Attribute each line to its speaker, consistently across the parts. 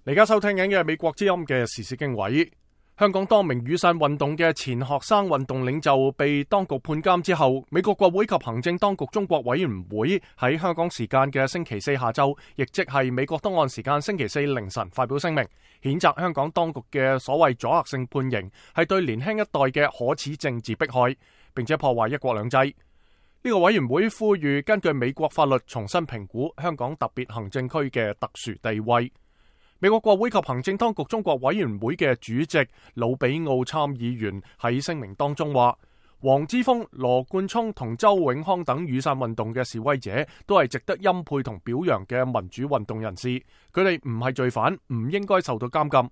Speaker 1: 而家收聽緊嘅係美國之音嘅時事經緯。香港多名雨傘運動嘅前學生運動領袖被當局判監之後，美國國會及行政當局中國委員會喺香港時間嘅星期四下晝，亦即係美國東岸時間星期四凌晨發表聲明，譴責香港當局嘅所謂阻嚇性判刑係對年輕一代嘅可恥政治迫害，並且破壞一國兩制。呢個委員會呼籲根據美國法律重新評估香港特別行政區嘅特殊地位。美國國會及行政當局中國委員會嘅主席魯比奧參議員喺聲明當中話，黃之鋒、羅冠聰同周永康等雨傘運動嘅示威者都係值得欽佩同表揚嘅民主運動人士，佢哋唔係罪犯，唔應該受到監禁。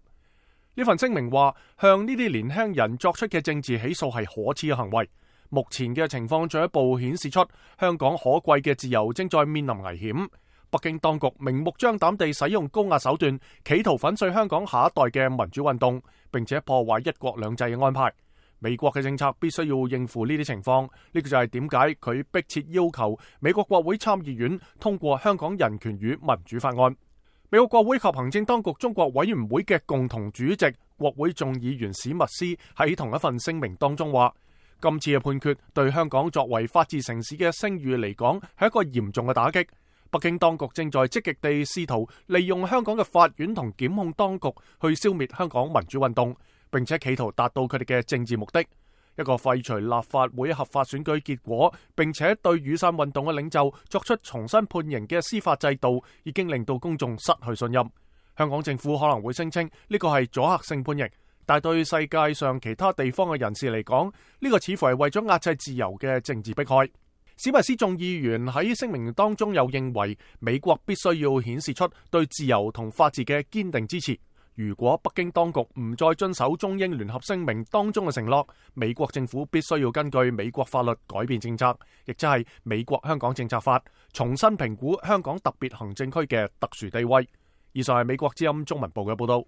Speaker 1: 呢份聲明話，向呢啲年輕人作出嘅政治起訴係可恥嘅行為。目前嘅情況進一步顯示出香港可貴嘅自由正在面臨危險。北京當局明目張膽地使用高壓手段，企圖粉碎香港下一代嘅民主運動，並且破壞一國兩制嘅安排。美國嘅政策必須要應付呢啲情況，呢個就係點解佢迫切要求美國國會參議院通過香港人權與民主法案。美國國會及行政當局中國委員會嘅共同主席國會眾議員史密斯喺同一份聲明當中話，今次嘅判決對香港作為法治城市嘅聲譽嚟講係一個嚴重嘅打擊。北京當局正在積極地試圖利用香港嘅法院同檢控當局去消滅香港民主運動，並且企圖達到佢哋嘅政治目的。一個廢除立法會合法選舉結果，並且對雨傘運動嘅領袖作出重新判刑嘅司法制度，已經令到公眾失去信任。香港政府可能會聲稱呢個係阻嚇性判刑，但對世界上其他地方嘅人士嚟講，呢個似乎係為咗壓制自由嘅政治迫害。史密斯眾議員喺聲明當中又認為，美國必須要顯示出對自由同法治嘅堅定支持。如果北京當局唔再遵守中英聯合聲明當中嘅承諾，美國政府必須要根據美國法律改變政策，亦即係美國香港政策法，重新評估香港特別行政區嘅特殊地位。以上係美國之音中文部嘅報道。